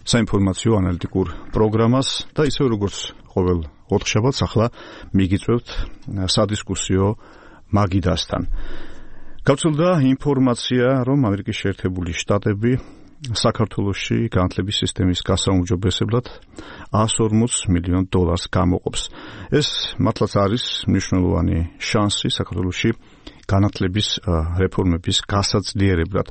საინფორმაციო ანალიტიკურ პროგრამას და ისევ როგორც ყოველ ოთხშაბათს ახლა მიგიწევთ სადისკუსიო მაგიდასთან. გავრცელდა ინფორმაცია, რომ ამერიკის შეერთებული შტატები საქართველოში განათლების სისტემის გასაუმჯობესებლად $140 მილიონ გამოყოფს. ეს მართლაც არის მნიშვნელოვანი შანსი საქართველოში განათლების რეფორმების გასაძლიერებლად.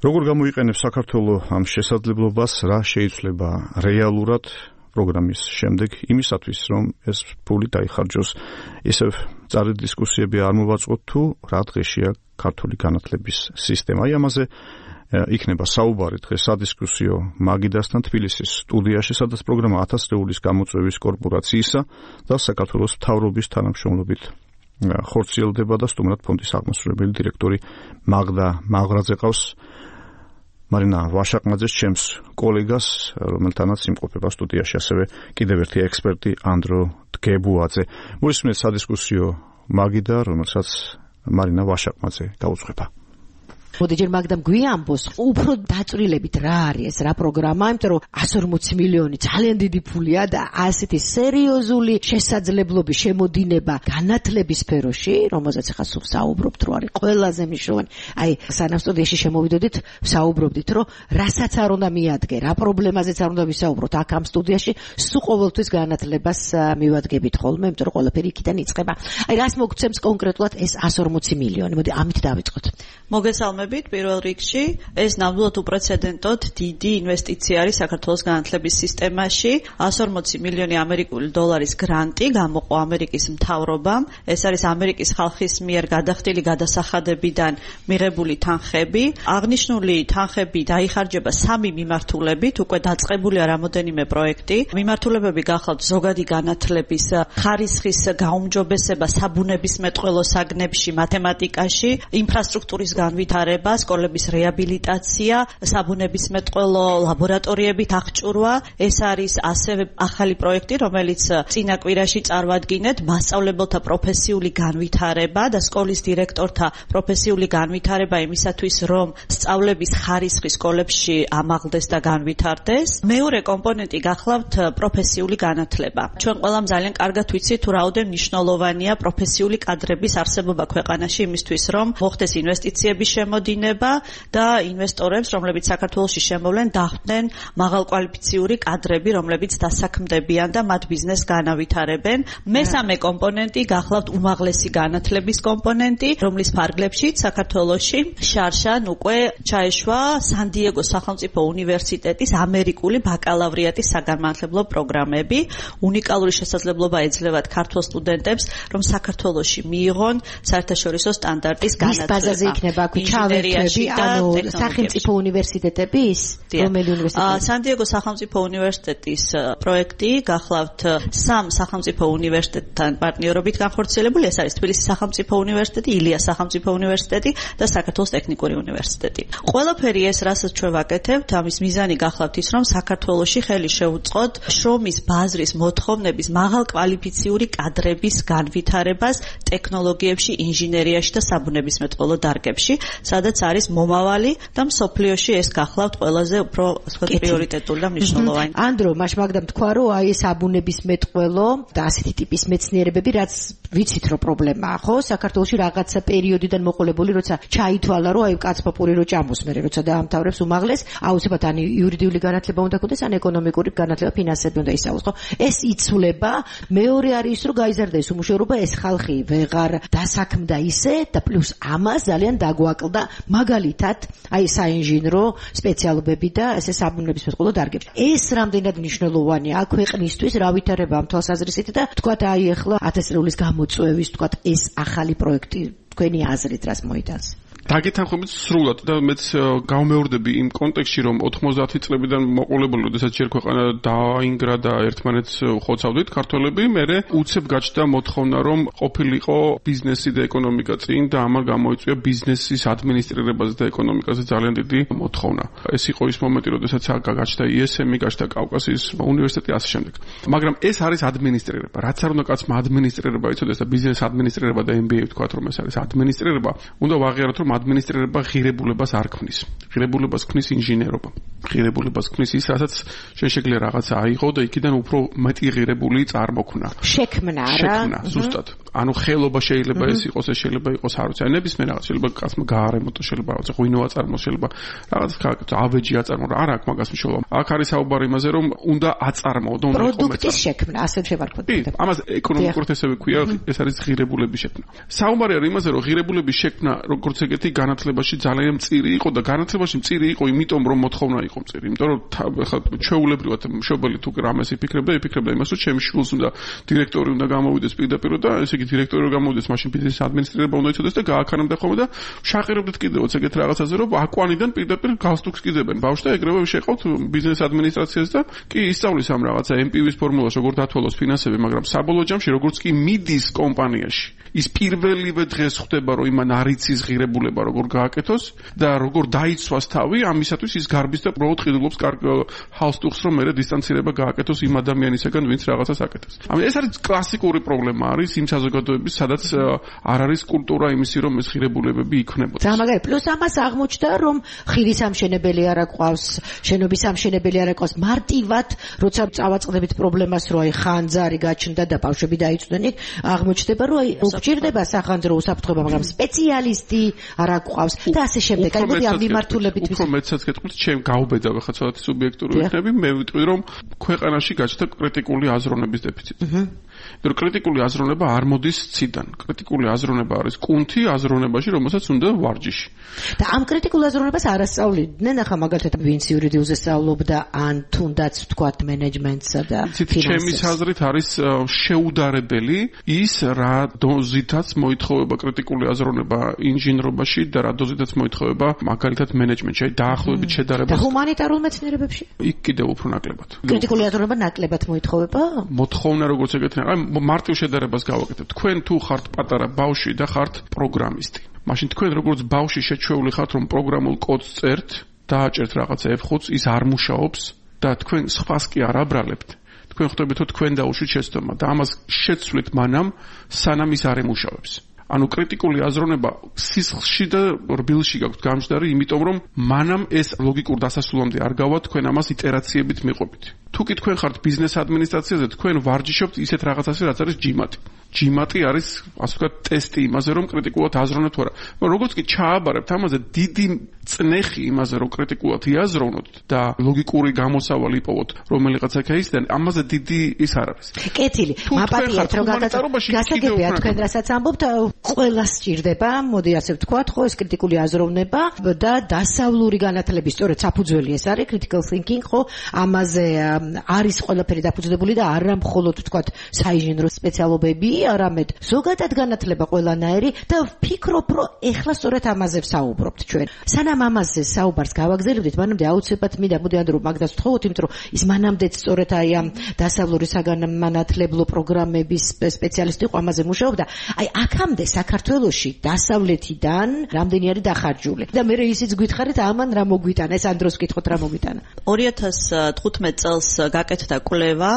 როგორ გამოიყენებს საქართველოს ამ შესაძლებლობას, რა შეიცვლება რეალურად პროგრამის შემდეგ იმისათვის, რომ ეს ფული დაიხარჯოს. ისევ წარედ დისკუსიები არ მოვაწყოთ თუ რა დღეშია ქართული განათლების სისტემა. აი ამაზე იქნება საუბარი დღეს სადისკუსიო მაგიდასთან თბილისის სტუდიაში, სადაც პროგრამა 1000 ლეულის გამოწვევის კორპორაციისა და საქართველოს მთავრობის თანამშრომლობით ხორციელდება და სტუმრად ფონდის აღმასრულებელი დირექტორი მაგდა მაღრაძე ყავს. მარინა ვაშაყმაძეს ჩემს კოლეგას, რომელთანაც იმყოფება სტუდიაში ასევე კიდევ ერთი ექსპერტი ანდრო დგებუაძე. მოისმენთ სადისკუსიო მაგიდა, რომელსაც მარინა ვაშაყმაძე გაუძღვება. მოდი ჯერ მაგდამ გვიამბოს უფრო დაწვრილებით რა არის ეს რა პროგრამა, იმიტომ რომ 140 მილიონი ძალიან დიდი ფულია და ასეთი სერიოზული შესაძლებლობის შემოდინება განათლების სფეროში, რომელზეც ახლა სულ საუბრობთ, რომ არის ყველაზე მნიშვნელოვანი. აი, სანამ სტუდიაში შემოვიდოდით, საუბრობდით, რომ რასაც არ უნდა მიადგე, რა პრობლემაზეც არ უნდა ვისაუბროთ, აქ ამ სტუდიაში სულ ყოველთვის განათლებას მივადგებით ხოლმე, იმიტომ რომ ყველაფერი იქიდან იწყება. აი, რას მოგცემს კონკრეტულად ეს 140 მილიონი? მოდი ამით დავიწყოთ. მოგესალმებით პირველ რიგში, ეს ნამდვილად უპრეცედენტოდ დიდი ინვესტიცია არის საქართველოს განათლების სისტემაში. 140 მილიონი ამერიკული დოლარის გრანტი გამოყო ამერიკის მთავრობამ. ეს არის ამერიკის ხალხის მიერ გადახდილი გადასახადებიდან მიღებული თანხები. აღნიშნული თანხები დაიხარჯება 3 მიმართულებით, უკვე დაწყებულია რამოდენიმე პროექტი. მიმართულებები გახლავთ ზოგადი განათლების ხარისხის გაუმჯობესება საბუნებისმეტყველო საგნებში, მათემატიკაში, ინფრასტრუქტურის განვითარება, სკოლების რეაბილიტაცია, საბუნებისმეტყველო ლაბორატორიებით აღჭურვა. ეს არის ასევე ახალი პროექტი, რომელიც წინა კვირაში წარვადგინეთ, მასწავლებელთა პროფესიული განვითარება და სკოლის დირექტორთა პროფესიული განვითარება იმისათვის, რომ სწავლების ხარისხი სკოლებში ამაღლდეს და განვითარდეს. მეორე კომპონენტი გახლავთ პროფესიული განათლება. ჩვენ ყველამ ძალიან კარგად ვიცით, თუ რაოდენ მნიშვნელოვანია პროფესიული კადრების არსებობა ქვეყანაში იმისთვის, რომ მოხდეს ინვესტიციების შემოდინება და ინვესტორებს, რომლებიც საქართველოში შემოვლენ, დახვდნენ მაღალკვალიფიციური კადრები, რომლებიც დასაქმდებიან და მათ ბიზნესს განავითარებენ. მესამე კომპონენტი გახლავთ უმაღლესი განათლების კომპონენტი, რომლის ფარგლებშიც საქართველოში შარშან უკვე ჩაეშვა სან-დიეგოს სახელმწიფო უნივერსიტეტის ამერიკული ბაკალავრიატის საგანმანათლებლო პროგრამები. უნიკალური შესაძლებლობა ეძლევათ ქართულ სტუდენტებს, რომ საქართველოში მიიღონ საერთაშორისო სტანდარტის განათლება. ჩავერთები, ანუ სახელმწიფო უნივერსიტეტების? რომელი უნივერსიტეტი? სან-დიეგოს სახელმწიფო უნივერსიტეტის პროექტი გახლავთ 3 სახელმწიფო უნივერსიტეტთან პარტნიორობით განხორციელებული. ეს არის თბილისის სახელმწიფო უნივერსიტეტი, ილიას სახელმწიფო უნივერსიტეტი და საქართველოს ტექნიკური უნივერსიტეტი. ყველაფერი ეს, რასაც ჩვენ ვაკეთებთ, ამის მიზანი გახლავთ ის, რომ საქართველოში ხელი შეუწყოთ შრომის ბაზრის მოთხოვნების მაღალკვალიფიციური კადრების განვითარებას ტექნოლოგიებში, ინჟინერიაში და საბუნებისმეტყველო დარგებში, სადაც არის მომავალი და მსოფლიოში ეს გახლავთ ყველაზე უფრო პრიორიტეტული და მნიშვნელოვანი. ანდრო, მაგდამ თქვა, რომ აი ეს საბუნებისმეტყველო და ასეთი ტიპის მეცნიერებები, რაც ვიცით რომ პრობლემაა, ხო? საქართველოში რაღაცა პერიოდიდან მოყოლებული, როცა ჩაითვალა, რომ აი კაცპოპური რო ჭამოს მერე, როცა დაამთავრებს უმაღლეს, აუცილებლად ან იურიდიული განათლება უნდა ქონდეს, ან ეკონომიკური განათლება, ფინანსები უნდა ისწავლოს, ხო? ეს იცვლება. მეორე არის ის, რომ გაიზარდა ეს უმუშევრობა, ეს ხალხი ვეღარ დასაქმდა ისე და პლუს ამას ძალიან დაგვაკლდა მაგალითად აი საინჟინრო სპეციალობები და ესე საბუნებისმეტყველო დარგებში. ეს რამდენად მნიშვნელოვანია აქ ქვეყნისთვის, რა ვითარება ამ თვალსაზრისით და თქვათ აი ახლა 1000 ლეულის გამოწვევის თქვათ ეს ახალი პროექტი თქვენი აზრით რას მოიტანს? დაგეთანხმებით სრულად და მეც გავმეორდები იმ კონტექსტში, რომ 90 წლებიდან მოყოლებული, როდესაც ჯერ ქვეყანა დაინგრა და ერთმანეთს ხოცავდით ქართველები, მერე უცებ გაჩნდა მოთხოვნა, რომ ყოფილიყო ბიზნესი და ეკონომიკა წინ და ამან გამოიწვია ბიზნესის ადმინისტრირებაზე და ეკონომიკაზე ძალიან დიდი მოთხოვნა. ეს იყო ის მომენტი, როდესაც გაჩნდა ISM, გაჩნდა კავკასიის უნივერსიტეტი ასე შემდეგ. მაგრამ ეს არის ადმინისტრირება. რაც არ უნდა კაცმა ადმინისტრირება იცოდეს და ბიზნეს ადმინისტრირება და MBA ვთქვათ, რომ ეს არის ადმინისტრირება, უნდა ვაღიაროთ, რომ ადმინისტრირება ღირებულებას არ ქმნის. ღირებულებას ქმნის ინჟინერობა. ღირებულებას ქმნის ის, რასაც შეგვიძლია რაღაცა აიღო და იქიდან უფრო მეტი ღირებული წარმოქმნა. შექმნა, რა. შექმნა, ზუსტად. ანუ ხელობა შეიძლება ეს იყოს, ეს შეიძლება იყოს არ ვიცი, ნებისმიერ რაღაც შეიძლება კაცმა გაარემონტო, შეიძლება რაღაცა ღვინო აწარმოოს, შეიძლება რაღაც ავეჯი აწარმოო, არა აქვს მაგას მნიშვნელობა. აქ არის საუბარი იმაზე, რომ უნდა აწარმოო და უნდა პროდუქტის შექმნა, ასე შევარკვევთ. ამას ეკონომიკურად ესევე ქვია, ეს არის ღირებულების შექმნა. საუბარი არის იმაზე, რომ ღირებულების შექმნა როგორც ეგეთი განათლებაში ძალიან მწირი იყო და განათლებაში მწირი იყო იმიტომ, რომ მოთხოვნა იყო მწირი. იმიტომ რომ ჩვეულებრივად მშობელი თუ რამეს იფიქრებდა იმას, რომ ჩემი შვილს უნდა დირექტორი უნდა გამოვიდეს პირდაპირ და ესე იგი დირექტორი რომ გამოვიდეს, მაშინ ბიზნესის ადმინისტრირება უნდა იცოდეს და გააქანებდა ხოლმე და შაყირებდით კიდევაც ეგეთ რაღაცაზე, რომ აკვანიდან პირდაპირ გალსტუქს კიდებენ ბავშვს და ეგრევე შეყავთ ბიზნეს ადმინისტრაციას და კი ისწავლის ამ რაღაცა MPV-ის ფორმულას, როგორ დათვალოს ფინანსები, მაგრამ საბოლოო ჯამში როგორც კი მიდის კომპანიაში, ის პირველივე დღეს ხვდება, რომ იმან არ იცის ღირებულება როგორ გააკეთოს და როგორ დაიცვას თავი, ამისათვის ის გარბის და უბრალოდ ყიდულობს კარგ ჰალსტუხს, რომ მერე დისტანცირება გააკეთოს იმ ადამიანისაგან, ვინც რაღაცას აკეთებს. ამიტომ ეს არის კლასიკური პრობლემა არის იმ საზოგადოების, სადაც არ არის კულტურა იმისი, რომ ეს ღირებულებები იქნებოდეს. და მაგარი პლუს ამას აღმოჩნდა, რომ ხიდის ამშენებელი არ აყვავს, შენობის ამშენებელი არ აყვავს, მარტივად როცა წავაწყდებით პრობლემას, რომ აი ხანძარი გაჩნდა და ბავშვები დაიწვნენ, აღმოჩნდება, რომ აი უჭირდება სახანძრო უსაფრთხოება, მაგრამ სპეციალისტი არ აყვავს და ასე შემდეგ. აი მოდი ამ მიმართულებით უფრო მეცაც გეტყვით, ჩემ გავბედავ ხა ცოტა სუბიექტური ვიქნები, მე ვიტყვი, რომ ქვეყანაში გაჩნდა კრიტიკული აზროვნების დეფიციტი. იმიტომ კრიტიკული აზროვნება არ მოდის ციდან. კრიტიკული აზროვნება არის კუნთი აზროვნებაში, რომელსაც უნდა ვარჯიში. და ამ კრიტიკულ აზროვნებას არ ასწავლიდნენ, ახლა მაგალითად ვინც იურიდიულზე სწავლობდა, ან თუნდაც ვთქვათ მენეჯმენტსა და ფინანსებს. ჩემი აზრით არის შეუდარებელი ის რა დოზითაც მოითხოვება კრიტიკული აზროვნება ინჟინრობაში და რა დოზითაც მოითხოვება მაგალითად მენეჯმენტში, აი დაახლოებით შედარება. და ჰუმანიტარულ მეცნიერებებში? იქ კიდევ უფრო ნაკლებად. კრიტიკული აზროვნება ნაკლებად მოითხოვება? მოთხოვნა როგორც ეგეთი, აი მარტივ შედარებას გავაკეთებ. თქვენ თუ ხართ პატარა ბავშვი და ხართ პროგრამისტი. მაშინ თქვენ როგორც ბავშვი შეჩვეული ხართ, რომ პროგრამულ კოდს წერთ, დააჭერთ რაღაცა F5-ს, ის არ მუშაობს და თქვენ სხვას კი არ აბრალებთ. თქვენ ხვდებით, რომ თქვენ დაუშვით შეცდომა და ამას შეცვლით მანამ, სანამ ის არ ემუშავებს. ანუ კრიტიკული აზროვნება სისხლში და რბილში გაქვთ გამჯდარი, იმიტომ რომ მანამ ეს ლოგიკურ დასასრულამდე არ გავა, თქვენ ამას იტერაციებით მიყვებით. თუ კი თქვენ ხართ ბიზნეს ადმინისტრაციაზე, თქვენ ვარჯიშობთ ისეთ რაღაცაზე, რაც არის ჯიმატი. ჯიმატი არის, ასე ვთქვათ, ტესტი იმაზე, რომ კრიტიკულად აზროვნებთ თუ არა. მაგრამ როგორც კი ჩააბარებთ ამაზე დიდი წნეხი იმაზე, რომ კრიტიკულად იაზროვნოთ და ლოგიკური გამოსავალი იპოვოთ, რომელიღაც აქაისიდან, ამაზე დიდი ის არ არის. კეთილი. მაპატიეთ, რომ გასაგებია თქვენ რასაც ამბობთ, ყველას სჭირდება, მოდი ასე ვთქვათ, ხო, ეს კრიტიკული აზროვნება და დასავლური განათლების, სწორედ საფუძველი ეს არის critical thinking, ხო, ამაზე არის ყველაფერი დაფუძნებული და არა მხოლოდ ვთქვათ საინჟინრო სპეციალობები, არამედ ზოგადად განათლება ყველანაირი და ვფიქრობ, რომ ეხლა სწორედ ამაზე ვსაუბრობთ ჩვენ. სანამ ამაზე საუბარს გავაგზავნებთ, მანამდე აუცილებლად მინდა მოდიან რომ მაგას ვთხოვოთ, იმიტომ რომ ის მანამდეც სწორედ აი ამ დასავლური საგანმანათლებლო პროგრამების სპეციალისტი იყო ამაზე მუშაობდა. აი აქამდე საქართველოში დასავლეთიდან რამდენი არის დახარჯული და მე ისიც გითხარით ამან რა მოგვიტანა, ეს ამ დროს ვკითხოთ რა მოგვიტანა. 2015 წელს გაკეთდა კვლევა,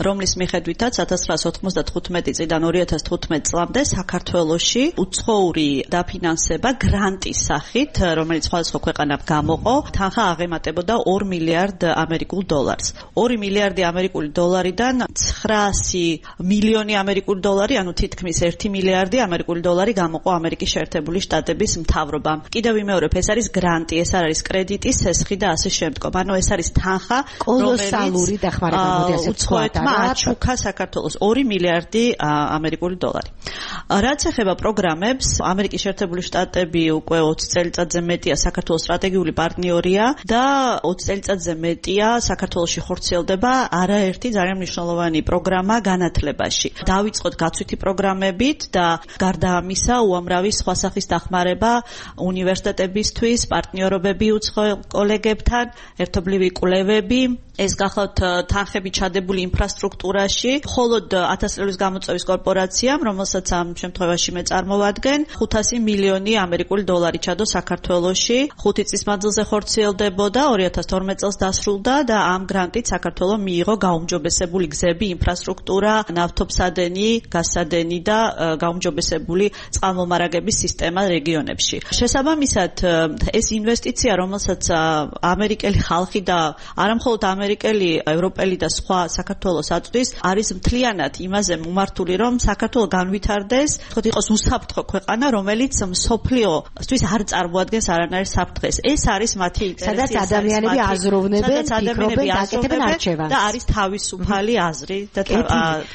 რომლის მიხედვითაც 1995 წლიდან 2015 წლამდე საქართველოში უცხოური დაფინანსება გრანტის სახით, რომელიც სხვადასხვა ქვეყანამ გამოყო, თანხა აღემატებოდა 2 მილიარდ ამერიკულ დოლარს. 2 მილიარდი ამერიკული დოლარიდან 900 მილიონი ამერიკული დოლარი, ანუ თითქმის 1 მილიარდი ამერიკული დოლარი გამოყო ამერიკის შეერთებული შტატების მთავრობამ. კიდევ ვიმეორებ, ეს არის გრანტი, ეს არ არის კრედიტი, სესხი და ასე შემდგომ. ანუ ეს არის თანხა, კოლოსალური დახმარება, მოდი ასე ვთქვათ, აჩუქა საქართველოს 2 მილიარდი ამერიკული დოლარი. რაც ეხება პროგრამებს, ამერიკის შეერთებული შტატები უკვე 20 წელიწადზე მეტია საქართველოს სტრატეგიული პარტნიორია და 20 წელიწადზე მეტია საქართველოში ხორციელდება არაერთი ძალიან მნიშვნელოვანი პროგრამა განათლებაში. დავიწყოთ გაცვითი პროგრამებით და გარდა ამისა, უამრავი სხვა სახის დახმარება უნივერსიტეტებისთვის, პარტნიორობები უცხო კოლეგებთან, ერთობლივი კვლევები ეს გახლავთ თანხები ჩადებული ინფრასტრუქტურაში, მხოლოდ 1000 წლის გამოწვევის კორპორაციამ, რომელსაც ამ შემთხვევაში მე წარმოვადგენ, 500 მილიონი ამერიკული დოლარი ჩადო საქართველოში, 5 წლის მანძილზე ხორციელდებოდა, 2012 წელს დასრულდა და ამ გრანტით საქართველო მიიღო გაუმჯობესებული გზები, ინფრასტრუქტურა, ნავთობსადენი, გაზსადენი და გაუმჯობესებული წყალმომარაგების სისტემა რეგიონებში. შესაბამისად, ეს ინვესტიცია, რომელსაც ამერიკელი ხალხი და არამხოლოდ ამერიკელი, ევროპელი და სხვა საქართველოს აწვდის, არის მთლიანად იმაზე მომართული, რომ საქართველო განვითარდეს, თქო იყოს უსაფრთხო ქვეყანა, რომელიც მსოფლიოსთვის არ წარმოადგენს არანაირ საფრთხეს. ეს არის მათი ინტერესი, სადაც ადამიანები აზროვნებენ, ფიქრობენ, აკეთებენ არჩევანს და არის თავისუფალი აზრი და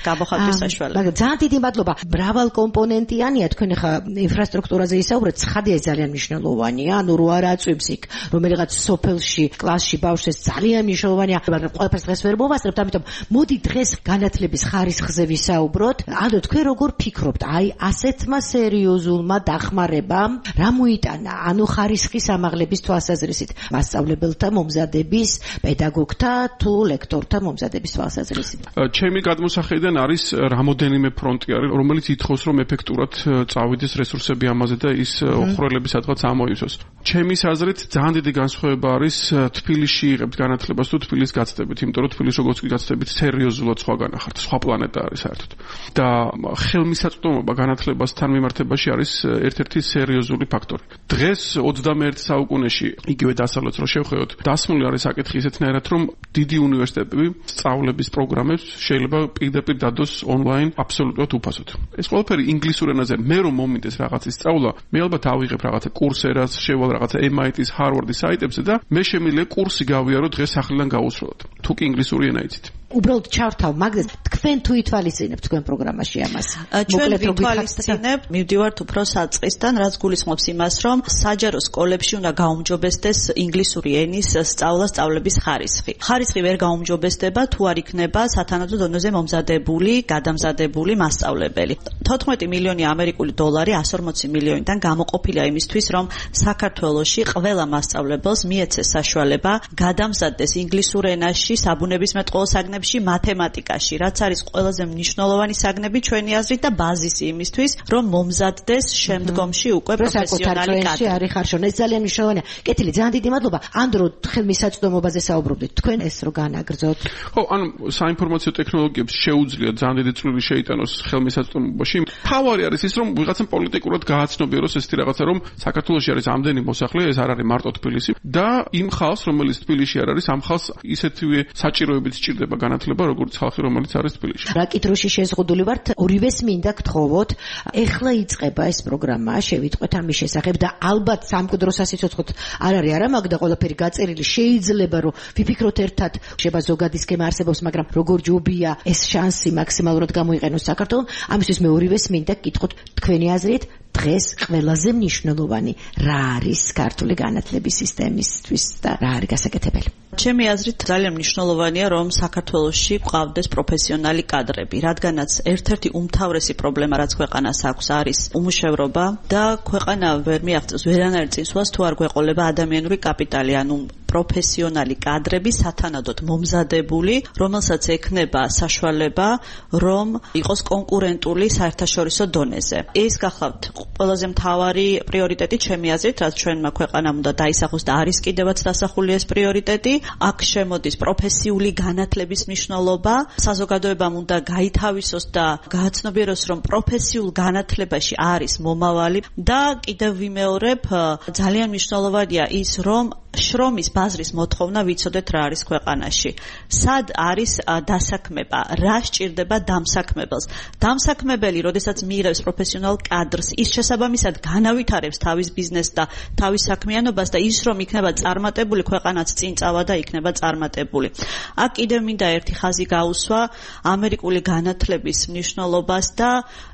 გამოხატვის საშუალება. მაგრამ ძალიან დიდი მადლობა. მრავალკომპონენტიანია, თქვენ ხა ინფრასტრუქტურაზე ისაუბრეთ, ცხადია ძალიან მნიშვნელოვანია, ანუ რო არ აწვევს იქ რომელიღაც სოფელში, კლასში ბავშვს ძალიან მნიშვნელოვანია, მაგრამ ყველაფერს დღეს ვერ მოვასწრებთ, ამიტომ მოდი დღეს განათლების ხარისხზე ვისაუბროთ. ანუ თქვენ როგორ ფიქრობთ, აი ასეთმა სერიოზულმა დახმარებამ რა მოიტანა, ანუ ხარისხის ამაღლების თვალსაზრისით, მასწავლებელთა მომზადების, პედაგოგთა თუ ლექტორთა მომზადების თვალსაზრისით? ჩემი გადმოსახედიდან არის რამოდენიმე ფრონტი არის, რომელიც ითხოვს, რომ ეფექტურად წავიდეს რესურსები ამაზე და ის ხვრელები სადღაც ამოივსოს. ჩემის აზრით ძალიან დიდი განსხვავება არის თბილისში იღებთ განათლებას თუ თბილისს გაცდებით, იმიტომ რომ თბილისში როგორც კი გაცდებით, სერიოზულად სხვაგან ახართ, სხვა პლანეტა არის საერთოდ. და ხელმისაწვდომობა განათლებასთან მიმართებაში არის ერთ-ერთი სერიოზული ფაქტორი. დღეს 21 საუკუნეში იგივე დასავლეთს რო შევხედოთ, დასმული არის საკითხი ისეთნაირად, რომ დიდი უნივერსიტეტები სწავლების პროგრამებს შეიძლება პირდაპირ დადოს ონლაინ აბსოლუტურად უფასოდ. ეს ყველაფერი ინგლისურ ენაზე. მე რომ მომინდეს რაღაცის სწავლა, მე ალბათ ავიღებ რაღაცა კურსერას, შევალ რაღაცა MIT-ის, Harvard-ის საიტებზე და მე შემიძლია კურსი გავიარო დღეს სახლიდან გაუსვლელად. თუ კი ინგლისური ენა იცით. უბრალოდ ჩავთავ მაგას, თქვენ თუ ითვალისწინებთ თქვენ პროგრამაში ამას? ჩვენ ვითვალისწინებთ, მივდივართ უფრო საწყისთან, რაც გულისხმობს იმას, რომ საჯარო სკოლებში უნდა გაუმჯობესდეს ინგლისური ენის სწავლების ხარისხი. ხარისხი ვერ გაუმჯობესდება, თუ არ იქნება სათანადო დონეზე მომზადებული, გადამზადებული მასწავლებელი. 14 მილიონი ამერიკული დოლარი 140 მილიონიდან გამოყოფილია იმისთვის, რომ საქართველოში ყველა მასწავლებელს მიეცეს საშუალება გადამზადდეს ინგლისურ ენაში, საბუნებისმეტყველო საგნებში, მათემატიკაში, რაც არის ყველაზე მნიშვნელოვანი საგნები ჩვენი აზრით და ბაზისი იმისთვის, რომ მომზადდეს შემდგომში უკვე პროფესიონალი კადრი. არის ხარშონ, ეს ძალიან მნიშვნელოვანია. კეთილი, ძალიან დიდი მადლობა. ანდრო, ხელმისაწვდომობაზე საუბრობდით. თქვენ ეს რო განაგრძოთ. ხო, ანუ საინფორმაციო ტექნოლოგიებს შეუძლია ძალიან დიდი წვლილი შეიტანოს ხელმისაწვდომობაში. თავარი არის ის, რომ ვიღაცამ პოლიტიკურად გააცნობიეროს ესეთი რაღაცა, რომ საქართველოში არის ამდენი მოსახლე, ეს არ არის მარტო თბილისი და იმ ხალხს, რომელიც თბილისში არ არის, ამ ხალხს ისეთივე საჭიროებით სჭირდება განათლება, როგორც ხალხი, რომელიც არის თბილისში. რაკითხში შეზღუდული ვართ, ორივეს მინდა გთხოვოთ, ეხლა იწყება ეს პროგრამა, შევიტყვეთ ამის შესახებ და ალბათ სამკვიდრო სასიცოცხლოდ არ არის არა მაგ და ყველაფერი გაწერილი, შეიძლება რომ ვიფიქროთ ერთად, შეიძლება ზოგადი სქემა არსებობს, მაგრამ როგორ ჯობია ეს შანსი მაქსიმალურად გამოიყენოს საქართველოს, ამისთვის მე ორივეს მინდა გკითხოთ თქვენი აზრით, დღეს ყველაზე მნიშვნელოვანი რა არის ქართული განათლების სისტემისთვის და რა არის გასაკეთებელი? ჩემი აზრით ძალიან მნიშვნელოვანია, რომ საქართველოში გვყავდეს პროფესიონალი კადრები, რადგანაც ერთ-ერთი უმთავრესი პრობლემა, რაც ქვეყანას აქვს, არის უმუშევრობა და ქვეყანა ვერ მიაღწევს ვერანაირ წინსვლას, თუ არ გვეყოლება ადამიანური კაპიტალი, ანუ პროფესიონალი კადრები სათანადოდ მომზადებული, რომელსაც ექნება საშუალება, რომ იყოს კონკურენტული საერთაშორისო დონეზე. ეს გახლავთ ყველაზე მთავარი პრიორიტეტი ჩემი აზრით, რაც ჩვენმა ქვეყანამ უნდა დაისახოს და არის კიდევაც დასახული ეს პრიორიტეტი. აქ შემოდის პროფესიული განათლების მნიშვნელობა, საზოგადოებამ უნდა გაითავისოს და გააცნობიეროს, რომ პროფესიულ განათლებაში არის მომავალი და კიდევ ვიმეორებ, ძალიან მნიშვნელოვანია ის, რომ შრომის ბაზრის მოთხოვნა ვიცოდეთ რა არის ქვეყანაში. სად არის დასაქმება, რა სჭირდება დამსაქმებელს. დამსაქმებელი, როდესაც მიიღებს პროფესიონალ კადრს, ის შესაბამისად განავითარებს თავის ბიზნესს და თავის საქმიანობას და ის რომ იქნება წარმატებული, ქვეყანაც წინ წავა და იქნება წარმატებული. აქ კიდევ მინდა ერთი ხაზი გაუსვა ამერიკული განათლების მნიშვნელობას და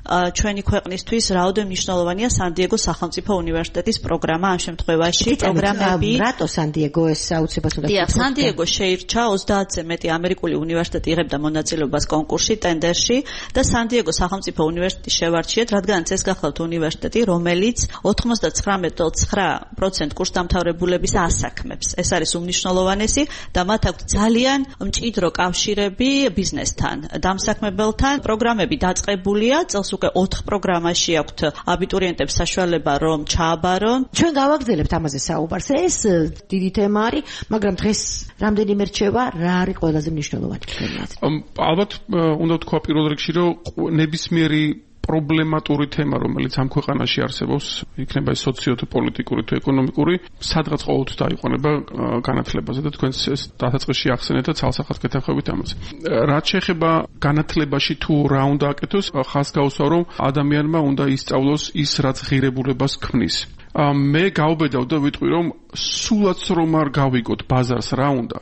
ჩვენი ქვეყნისთვის რაოდენ მნიშვნელოვანია სან-დიეგოს სახელმწიფო უნივერსიტეტის პროგრამა ამ შემთხვევაში. პროგრამები სან-დიეგო ეს აუცილებლად უნდა დიახ, სან-დიეგო შეირჩა 30-ზე მეტი ამერიკული უნივერსიტეტი იღებდა მონაწილეობას კონკურსში, ტენდერში და სან-დიეგო სახელმწიფო უნივერსიტეტი შევარჩიეთ, რადგანაც ეს გახლავთ უნივერსიტეტი, რომელიც 99.9% კურსდამთავრებულების ასაქმებს. ეს არის უმნიშვნელოვანესი და მათ აქვთ ძალიან მჭიდრო კავშირები ბიზნესთან, დამსაქმებელთან. პროგრამები დაწყებულია, წელს უკვე 4 პროგრამაში აქვთ აბიტურიენტებს საშუალება რომ ჩააბარონ. ჩვენ გავაგრძელებთ ამაზე საუბარს. ეს დიდი თემა არის, მაგრამ დღეს რამდენიმე რჩება, რა არის ყველაზე მნიშვნელოვანი? ალბათ უნდა ვთქვა პირველ რიგში, რომ ნებისმიერი პრობლემატური თემა, რომელიც ამ ქვეყანაში არსებობს, იქნება ის სოციო-პოლიტიკური თუ ეკონომიკური, სადღაც ყოველთვის დაიყვანება განათლებაზე და თქვენს ეს დასაწყისში ახსენეთ და ცალსახად გეთახმებით ამაზე. რაც შეეხება განათლებაში თუ რა უნდა აკეთოს, ხაზს გავუსვა, რომ ადამიანმა უნდა ისწავლოს ის, რაც ღირებულებას ქმნის. მე გავბედავ და ვიტყვი, რომ სულაც რომ არ გავიგოთ ბაზარს რა უნდა,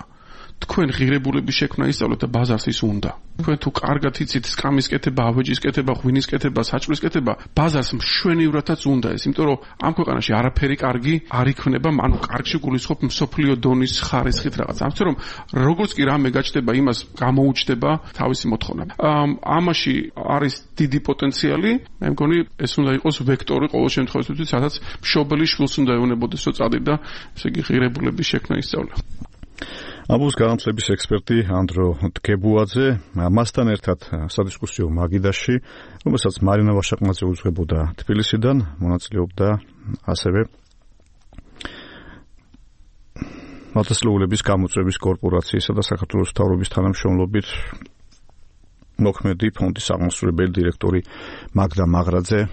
თქვენ ღირებულების შექმნა ისწავლეთ და ბაზარს ის უნდა. თქვენ თუ კარგად იცით სკამის კეთება, ავეჯის კეთება, ღვინის კეთება, საჭმლის კეთება, ბაზარს მშვენივრათაც უნდა ეს, იმიტომ რომ ამ ქვეყანაში არაფერი კარგი არ იქნება, ანუ კარგში გულისხმობ მსოფლიო დონის ხარისხით რაღაც. ამიტომ რომ როგორც კი რამე გაჩნდება, იმას გამოუჩნდება თავისი მოთხოვნა. ამაში არის დიდი პოტენციალი, მე მგონი ეს უნდა იყოს ვექტორი ყოველ შემთხვევაში, სადაც მშობელი შვილს უნდა ეუნებოდეს, რომ წადიდა, ესე იგი ღირებულების შექმნა ისწავლა. ამბობს განათლების ექსპერტი ანდრო დგებუაძე, მასთან ერთად სადისკუსიო მაგიდაში, რომელსაც მარინა ვაშაყმაძე უძღვებოდა თბილისიდან, მონაწილეობდა ასევე მათესლეულების გამოწვევის კორპორაციისა და საქართველოს მთავრობის თანამშრომლობით მოქმედი ფონდის აღმასრულებელი დირექტორი მაგდა მაღრაძე.